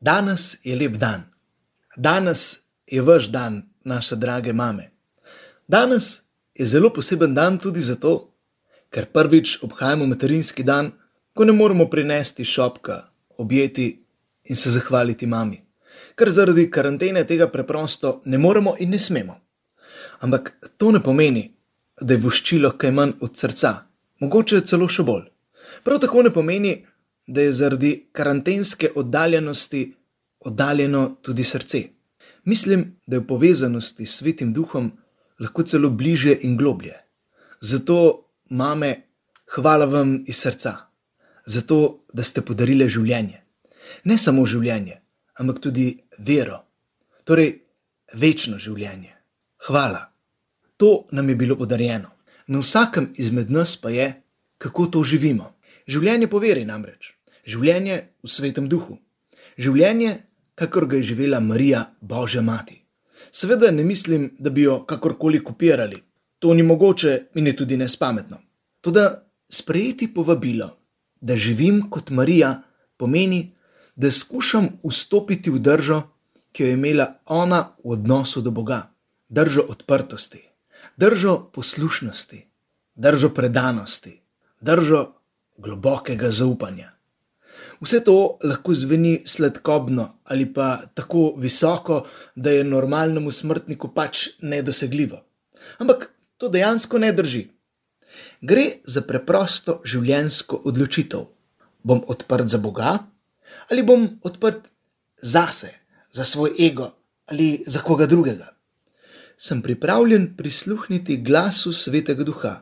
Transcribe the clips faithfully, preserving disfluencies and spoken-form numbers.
Danes je lep dan. Danes je vaš dan, naše drage mame. Danes je zelo poseben dan tudi zato, ker prvič obhajamo materinski dan, ko ne moremo prinesti šopka, objeti in se zahvaliti mami. Ker zaradi karantene tega preprosto ne moremo in ne smemo. Ampak to ne pomeni, da je voščilo kaj manj od srca, mogoče celo še bolj. Prav tako ne pomeni, da je zaradi karantenske oddaljenosti oddaljeno tudi srce. Mislim, da je v povezanosti s Svetim Duhom lahko celo bližje in globlje. Zato, mame, hvala vam iz srca. Zato, da ste podarile življenje. Ne samo življenje, ampak tudi vero. Torej, večno življenje. Hvala. To nam je bilo podarjeno. Na vsakem izmed nas pa je, kako to živimo. Življenje po veri namreč. Življenje v Svetem Duhu. Življenje, kakor ga je živela Marija, Božja mati. Seveda ne mislim, da bi jo kakorkoli kopirali. To ni mogoče in je tudi nespametno. Toda sprejeti povabilo, da živim kot Marija, pomeni, da skušam vstopiti v držo, ki jo je imela ona v odnosu do Boga. Držo odprtosti, držo poslušnosti, držo predanosti, držo globokega zaupanja. Vse to lahko zveni sladkobno ali pa tako visoko, da je normalnemu smrtniku pač nedosegljivo. Ampak to dejansko ne drži. Gre za preprosto življenjsko odločitev. Bom odprt za Boga ali bom odprt zase, za svoj ego ali za koga drugega. Sem pripravljen prisluhniti glasu Svetega Duha,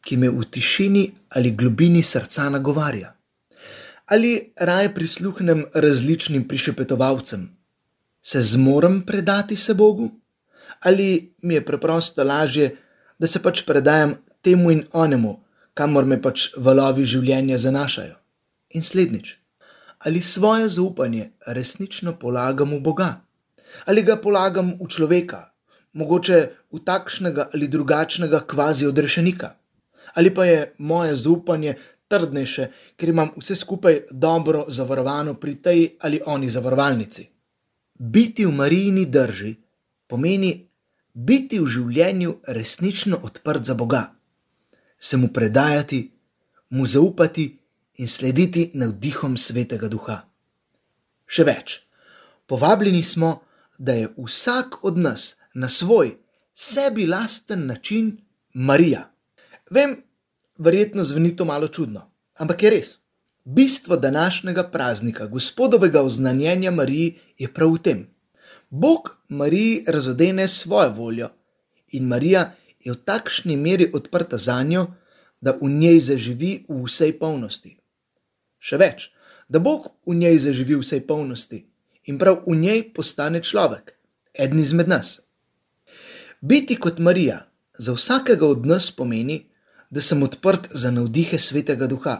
ki me v tišini ali globini srca nagovarja. Ali raje prisluhnem različnim prišepetovalcem? Se zmorem predati se Bogu? Ali mi je preprosto lažje, da se pač predajam temu in onemu, kamor me pač valovi življenja zanašajo? In slednjič, ali svoje zaupanje resnično polagam v Boga? Ali ga polagam v človeka, mogoče v takšnega ali drugačnega kvazi odrešenika? Ali pa je moje zaupanje trdnejše, ker imam vse skupaj dobro zavarovano pri tej ali oni zavarovalnici? Biti v Marijini drži pomeni biti v življenju resnično odprt za Boga, se mu predajati, mu zaupati in slediti navdihom Svetega Duha. Še več, povabljeni smo, da je vsak od nas na svoj sebi lasten način Marija. Vem, verjetno zveni to malo čudno, ampak je res. Bistvo današnjega praznika, Gospodovega oznanjenja Mariji, je prav v tem. Bog Mariji razodene svojo voljo in Marija je v takšni meri odprta zanjo, da v njej zaživi v vsej polnosti. Še več, da Bog v njej zaživi v vsej polnosti in prav v njej postane človek, eden izmed nas. Biti kot Marija za vsakega od nas pomeni, da sem odprt za navdihe Svetega Duha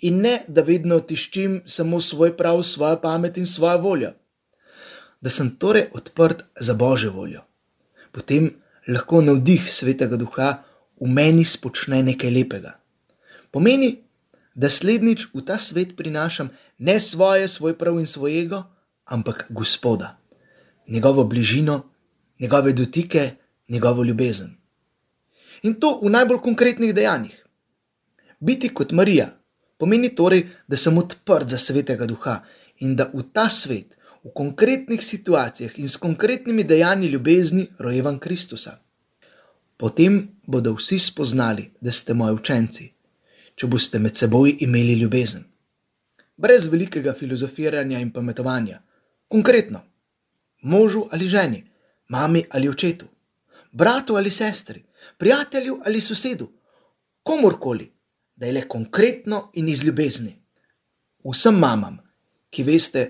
in ne, da vedno tiščim samo svoj prav, svojo pamet in svojo voljo. Da sem torej odprt za Božjo voljo. Potem lahko navdih Svetega Duha v meni spočne nekaj lepega. Pomeni, da slednjič v ta svet prinašam ne svoje, svoj prav in svoj ego, ampak Gospoda, njegovo bližino, njegove dotike, njegovo ljubezen. In to v najbolj konkretnih dejanjih. Biti kot Marija pomeni torej, da sem odprt za Svetega Duha in da v ta svet, v konkretnih situacijah in s konkretnimi dejanji ljubezni rojevam Kristusa. Potem bodo vsi spoznali, da ste moji učenci, če boste med seboj imeli ljubezen. Brez velikega filozofiranja in pametovanja. Konkretno. Možu ali ženi, mami ali očetu, bratu ali sestri, prijatelju ali sosedu, komorkoli, da je le konkretno in iz ljubezni. Vsem mamam, ki veste,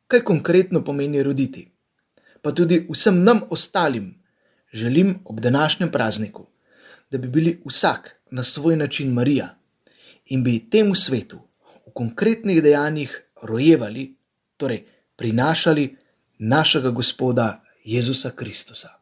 kaj konkretno pomeni roditi, pa tudi vsem nam ostalim, želim ob današnjem prazniku, da bi bili vsak na svoj način Marija in bi temu svetu v konkretnih dejanjih rojevali, torej prinašali našega Gospoda Jezusa Kristusa.